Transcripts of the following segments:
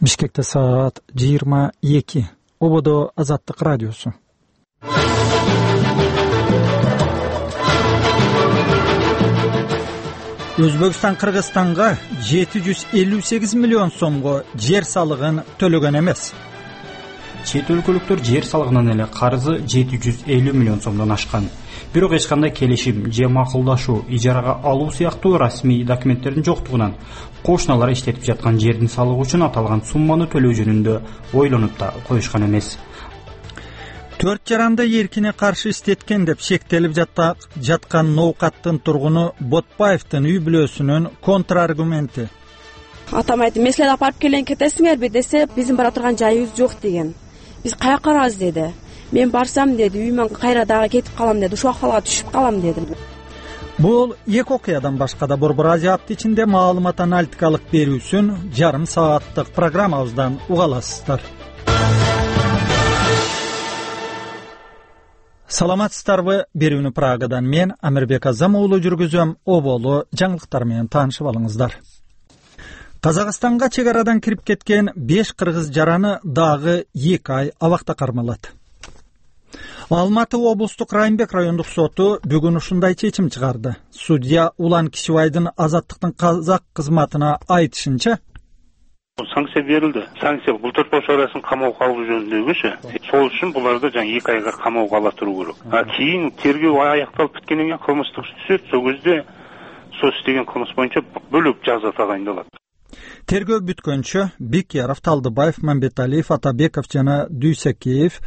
Бишкекте саат 22. Ободо Азаттык радиосу. Өзбекстан Кыргызстанга 758 миллион сомго жер салыгын төлөгөн эмес. Чет өлкөлүктөр жер салыгынан эле карызы 750 миллион сомдон ашкан. Бирок эч кандай келишим же макулдашуу, ижарага алуу сыяктуу расмий документтердин жоктугунан кошуналар иштетип жаткан жердин салыгы үчүн аталган сумманы төлөө жөнүндө ойлонуп да коюшкан эмес. 4 жаранды эркине каршы иштеткен деп шектелип жаткан Ноокаттын тургуну Ботпаевдин үй бүлөсүнүн контраргументи. Атам айтты, мен силерди апарып келейин кетесиңерби десе, биздин бара турган жайыбыз жок деген. Биз каяка барабыз деди. Мен барсам деди, үйүмөн кайра дагы кетип калам деди, ушул акыбалга түшүп калам деди. Бул эки окуядан башка да Борбор Азия апты ичинде маалымат аналитикалык берүүсүн жарым сааттык программабыздан уга аласыздар. Саламатсыздарбы? Берүүнү Прагадан мен Амирбек Азам уулу жүргүзөм. Оболу жаңылыктар менен таанышып алыңыздар. Казакстанга чек арадан кирип кеткен 5 кыргыз жараны дагы 2 ай абакта кармалат. Алматы облустук Райымбек райондук соту бүгүн ушундай чечим чыгарды. Судья Улан Кишибайдын Азаттыктын казак кызматына айтышынча, санкция берилди. Санкция бул төрт бош арасын камоого алуу жөнүндөгүчү. Сол үчүн буларды жаңы 2 айга камоого ала туруу керек. Кийин тергөө аякталып биткенден кийин кылмыштык иш түзөт. Сол кезде сол иштеген кылмыш боюнча бөлөк жаза тагайындалат. Тергөө бүткөнчө Бекяров, Талдыбаев, Мамбеталиев, Атабеков жана Дүйсекеев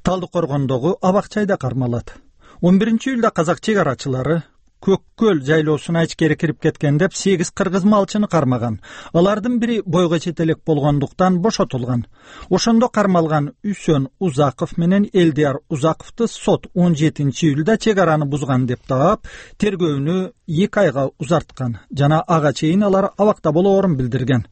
Талдыкоргондогу абак-жайда кармалат. 11-июлда казак чек арачылары Көккөл жайлоосуна ичкери кирип кеткен деп 8 кыргыз малчыны кармаган. Алардын бири бойго четелек болгондуктан бошотулган. Ошондо кармалган Үсөн Узаков менен Элдияр Узаковду сот 17-июлда чек араны бузган деп таап, тергөөнү 2 айга узарткан жана ага чейин алар абакта болоорун билдирген.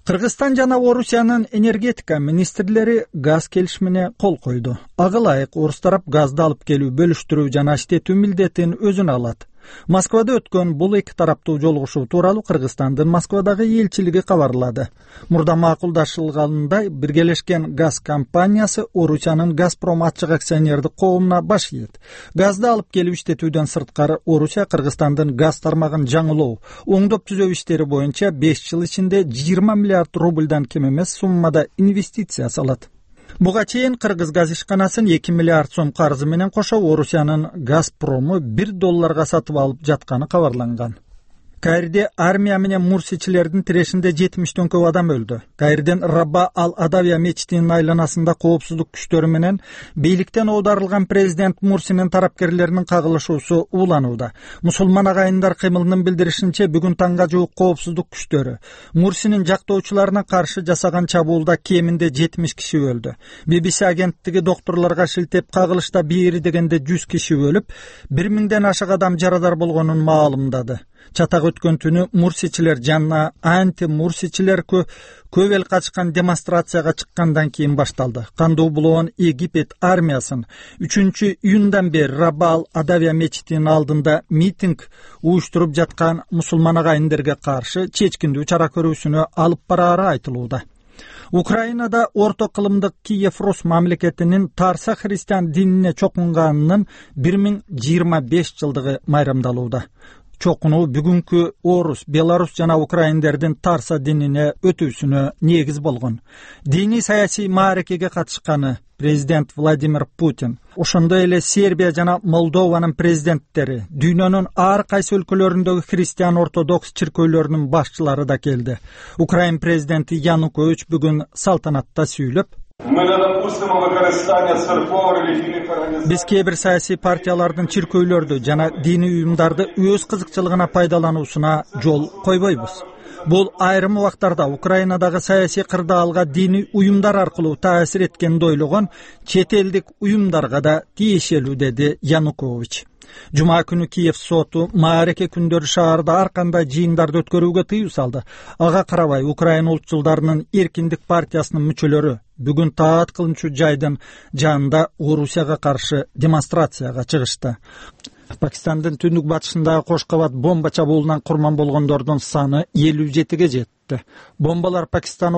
Кыргызстан жана Орусиянын энергетика министрлери газ келишимине кол койду. Ага ылайык орус тарап газды алып келүү, бөлүштүрүү жана иштетүү милдетин өзүнө алат. Москвада өткөн бул эки тараптуу жолугушуу тууралуу Кыргызстандын Москвадагы элчилиги кабарлады. Мурда макулдашылгандай биргелешкен газ компаниясы Орусиянын Газпром ачык акционердик коомуна баш ийет. Газды алып келип иштетүүдөн сырткары Орусия Кыргызстандын газ тармагын жаңылоо, оңдоп түзөө иштери боюнча 5 жыл ичинде 20 миллиард рубльдан кем эмес суммада инвестиция салат. Буга чейин кыргыз газ ишканасын 2 миллиард сом карызы менен кошо Орусиянын Газпрому $1 сатып алып жатканы кабарланган. Каирде армия менен мурсичилердин тирешинде 70ден көп адам өлдү. Каирден Раба ал-Адавия мечитинин айланасында коопсуздук күчтөрү менен бийликтен оодарылган президент Мурсинин тарапкерлеринин кагылышуусу уланууда. Мусулман агайындар кыймылынын билдиришинче, бүгүн таңга жуук коопсуздук күчтөрү Мурсинин жактоочуларына каршы жасаган чабуулда кеминде 70 киши өлдү. BBC агенттиги докторлорго шилтеп, кагылышта бери дегенде 100 киши өлүп, 1000ден ашык адам жарадар болгонун маалымдады. Чатак өткөн түнү мурсичилер жана анти-мурсичилер көп эл катышкан демонстрацияга чыккандан кийин башталды. Кандуу булоон Египет армиясын 3-июндан бери Раба ал-Адавия мечитинин алдында митинг уюштуруп жаткан мусулман агайындерге каршы чечкиндүү чара көрүүсүнө алып бараары айтылууда. Украинада орто кылымдык Киев Рус мамлекетинин Тарса христиан динине чокунганынын 1025 жылдыгы майрамдалууда. Чокунуу бүгүнкү орус, белорус жана украиндердин Тарса динине өтүүсүнө негиз болгон. Диний саясий маарекеге катышканы президент Владимир Путин, ошондой эле Сербия жана Молдованын президенттери, дүйнөнүн ар кайсы өлкөлөрүндөгү христиан ортодокс чиркөөлөрүнүн башчылары да келди. Украин президенти Янукович бүгүн салтанатта сүйлөп, биз кээ бир саясий партиялардын чиркөөлөрдү жана диний уюмдарды өз кызыкчылыгына пайдалануусуна жол койбойбуз. Бул айрым убактарда Украинадагы саясий кырдаалга диний уюмдар аркылуу таасир эткенди ойлогон чет элдик уюмдарга да тиешелүү, деди Янукович. Жума күнү Киев соту маареке күндөрү шаарда ар кандай жыйындарды өткөрүүгө тыюу салды. Ага карабай Украина улутчулдарынын Эркиндик партиясынын мүчөлөрү бүгүн таат кылынчу жайдын жанында Орусияга каршы демонстрацияга чыгышты. Пакистандын түндүк батышындагы Кош кабат бомба чабуулунан курман болгондордун саны 57ге жетти. Бомбалар Пакистан